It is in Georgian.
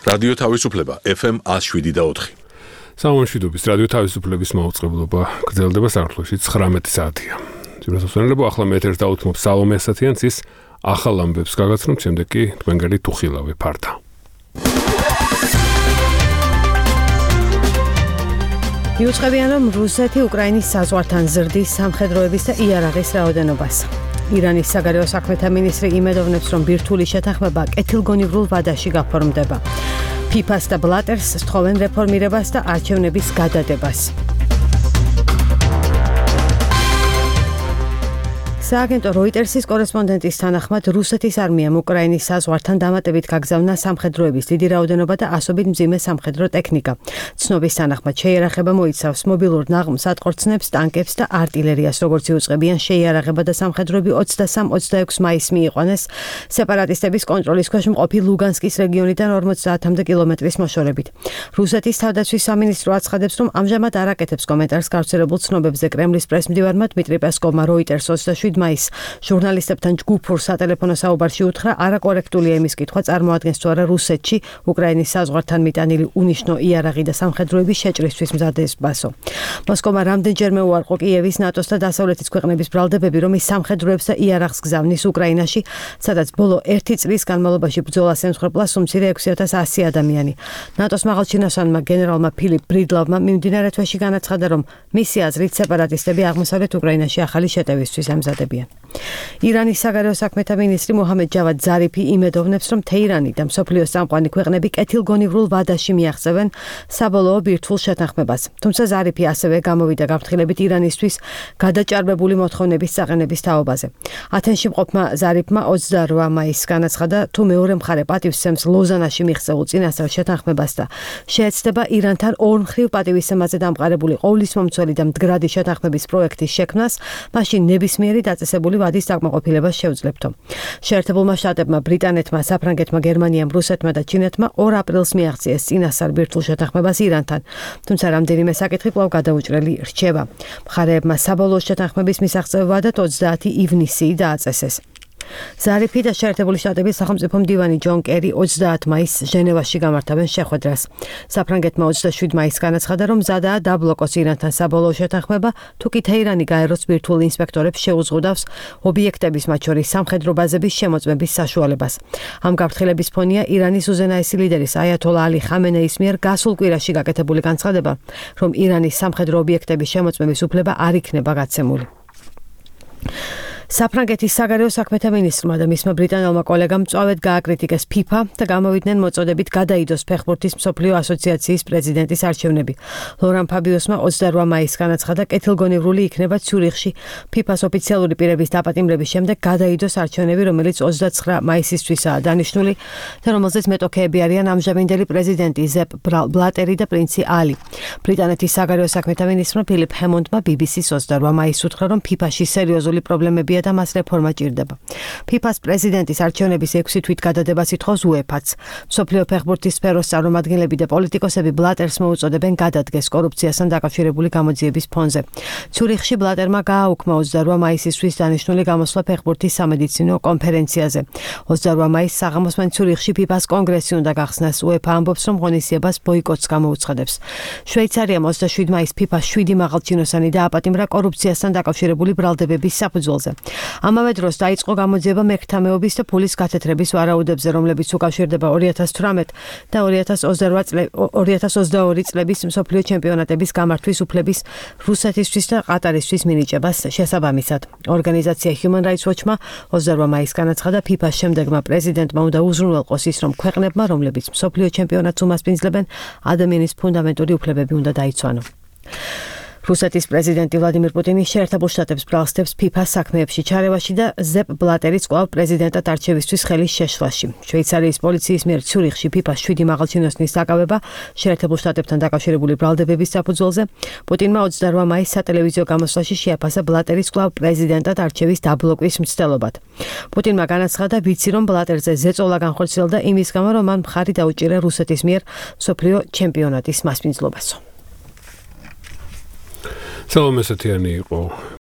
რადიო თავისუფლება FM 107.4. სამშვიდობის რადიო თავისუფლების მაუწყებლობა გრძელდება საქართველოში 19 საათია. ძირითადად ახლა მე ეთერს დაუთმობ სალომე ასათიანს ის ახალ ამბებს გაგაცნობ, შემდეგ კი თქვენგანი თუხილავე ფარდა. მიუწევიან, რომ რუსეთი უკრაინის საზღვართან ზრდის სამხედროების და იარაღის რაოდენობას. ირანის საგარეო საქმეთა მინისტრი იმედოვნებს, რომ ბირთვული შეთანხმება კეთილგონივრულ ვადაში გაფორმდება. ფიფას და ბლატერს სთხოვენ რეფორმირებას და არჩევნების გადადებას. სააგენტო როიტერსის კორესპონდენტის თანახმად რუსეთის არმიამ უკრაინის საზღვართან დამატებით გაგზავნა სამხედროების დიდი რაოდენობა და ასობით მძიმე სამხედრო ტექნიკა. ცნობის თანახმად შეიარაღება მოიცავს მობილურ ნაღმს, ატყორცნებს, ტანკებს და არტილერიას, როგორც იუწყებიან შეიარაღება და სამხედროები 23-26 მაისს მიიყვანეს სეპარატისტების კონტროლის ქვეშ მყოფი ლუგანსკის რეგიონიდან 50-მდე კილომეტრის მოშორებით. რუსეთის თავდაცვის სამინისტრო აცხადებს, რომ ამჟამად არ აკეთებს კომენტარს გავრცელებულ ცნობებზე. კრემლის პრესმდივარმა დმიტრი პესკოვმა როიტერს 27 მაისს ჟურნალისტებთან ჯგუფურ სატელეფონო საუბარში უთხრა, არაკორექტულია იმის კითხვა წარმოადგენს თუ არა რუსეთში უკრაინის საზღვართან მიტანილი უნიშნო იარაღი და სამხედროების შეჭრისთვის მზადებას. მოსკოვმა რამდენჯერმე უარყო კიევის, ნატოს და დასავლეთის ქვეყნების ბრალდებები, რომ ის სამხედროებს და იარაღს გზავნის უკრაინაში, სადაც ბოლო 1 წლის განმავლობაში ბრძოლას ემსხვერპლა სუმცირე 6100 ადამიანი. ნატოს მაღალჩინოსანმა გენერალმა ფილიპ ბრიდლავმა მიმდინარე თვეში განაცხადა, რომ მისი აზრით სეპარატისტები აღმოსავლეთ უკრაინაში ახალი შეტევისთვის ემზადებიან. ირანის საგარეო საქმეთა მინისტრი მოჰამედ ჯავად ზარიფი იმედოვნებს, რომ თეირანი და მსოფლიოს წამყვანი ქვეყნები კეთილგონივრულ ვადაში მიაღწევენ საბოლოო ბირთვულ შეთანხმებას. თუმცა ზარიფი ასევე გამოვიდა გაფრთხილებით ირანისთვის გადაჭარბებული მოთხოვნების საყენების თაობაზე. ათენში მყოფმა ზარიფმა 28 მაისს განაცხადა, თუ მეორე მხარე პატივსცემს ლოზანაში მიღწეულ წინასწარ შეთანხმებას და შეეცდება ირანთან ორმხრივ პატივისცემაზე დამყარებული ყოვლისმომცველი და მდგრადი შეთანხმების პროექტის შექმნას, მაშინ ნებისმიერი დაწესებული ვადის დაკმაყოფილებას შეუძლებთო. შეერთებულმა შტატებმა, ბრიტანეთმა, საფრანგეთმა, გერმანიამ, რუსეთმა და ჩინეთმა 2 აპრილს მიაღწიეს წინასწარ ბირთვულ შეთანხმებას ირანთან, თუმცა რამდენიმე საკითხი კვლავ გადაუჭრელი რჩება. მხარეებმა საბოლოო შეთანხმების მისაღწევ ვადად 30 ივნისი დააწესეს. ზარიფი და შეერთებული შტატების სახელმწიფო მდივანი ჯონ კერი 30 მაისს ჟენევაში გამართავენ შეხვედრას. საფრანგეთმა 27 მაისს განაცხადა, რომ მზადაა დაბლოკოს ირანთან საბოლოო შეთანხმება, თუ კი თეირანი გაეროს ბირთვულ ინსპექტორებს შეუზღუდავს ობიექტების, მათ შორის სამხედრო ბაზების შემოწმების საშუალებას. ამ გაფრთხილების ფონია ირანის უზენაესი ლიდერის აიათოლა ალი ხამენეის მიერ გასულ კვირაში გაკეთებული განცხადება, რომ ირანის სამხედრო ობიექტების შემოწმების უფლება არ იქნება გაცემული. საფრანგეთის საგარეო საქმეთა მინისტრმა და მისმა ბრიტანელმა კოლეგამ მწვავედ გააკრიტიკეს ფიფა და გამოვიდნენ მოწოდებით გადაიდოს ფეხბურთის მსოფლიო ასოციაციის პრეზიდენტის არჩევნები. ლორან ფაბიოსმა 28 მაისს განაცხადა, კეთილგონივრული იქნება ციურიხში ფიფას ოფიციალური პირების დაპატიმრების შემდეგ გადაიდოს არჩევნები, რომელიც 29 მაისისთვისაა დანიშნული და რომელზეც მეტოქეები არიან ამჟამინდელი პრეზიდენტი ზეპ ბლატერი და პრინცი ალი. ბრიტანეთის საგარეო საქმეთა მინისტრმა ფილიპ ჰემონდმა BBC-ს 28 მაისს უთხრა, რომ ფიფაში სერიოზული პრობლემები და მას რეფორმა ჭირდება. ფიფას პრეზიდენტის არჩევნების 6 თვით გადადებას ითხოვს უეფაც. მსოფლიო ფეხბურთის სფეროს წარმომადგენლები და პოლიტიკოსები ბლატერს მოუწოდებენ გადადგეს კორუფციასთან დაკავშირებული გამოძიების ფონზე. ციურიხში ბლატერმა გააუქმა 28 მაისისთვის დანიშნული გამოსვლა ფეხბურთის სამედიცინო კონფერენციაზე. 28 მაისს საღამოსმან ციურიხში ფიფას კონგრესი უნდა გახსნას. უეფა ამბობს, რომ ღონისძიებას ბოიკოტს გამოუცხადებს. შვეიცარიამ 27 მაისს ფიფას 7 მაღალჩინოსანი დააპატიმრა კორუფციასთან დაკავშირებული ბრალდებების საფუძველზე. ამავე დროს დაიწყო გამოძიება მერქთამეობის და ფულის გათეთრების ვარაუდებზე, რომლებიც უკავშირდება 2018 და 2022 წლების მსოფლიო ჩემპიონატების გამართვის უფლების რუსეთისთვის და ყატარისთვის მინიჭებას შესაბამისად. ორგანიზაცია Human Rights Watch-მა 28 მაისს განაცხადა, ფიფას შემდეგმა პრეზიდენტმა უნდა უზრუნველყოს ის, რომ ქვეყნებმა, რომლებიც მსოფლიო ჩემპიონატს უმასპინძლებენ, ადამიანის ფუნდამენტური უფლებები უნდა დაიცვანო. რუსეთის პრეზიდენტი ვლადიმირ პუტინი შეერთებულ შტატებს ბრალსდებს ფიფას საქმეებში ჩარევაში და ზეპ ბლატერის კვლავ პრეზიდენტად არჩევისთვის ხელის შეშლაში. შვეიცარიის პოლიციის მიერ ციურიხში ფიფას 7 მაღალჩინოსნის დაკავება შეერთებულ შტატებთან დაკავშირებული ბრალდებების საფუძველზე. პუტინმა 28 მაისს სატელევიზიო გამოსვლაში შეაფასა ბლატერის კვლავ პრეზიდენტად არჩევის დაბლოკვის მცდელობად. პუტინმა განაცხადა, ვიცი რომ ბლატერზე ზეწოლა განხორციელდა იმის გამო, რომ მან მხარი დაუჭირა რუსეთის მიერ მსოფლიო ჩემპიონატის მასპინძლობასო. სალომე ასათიანი იყო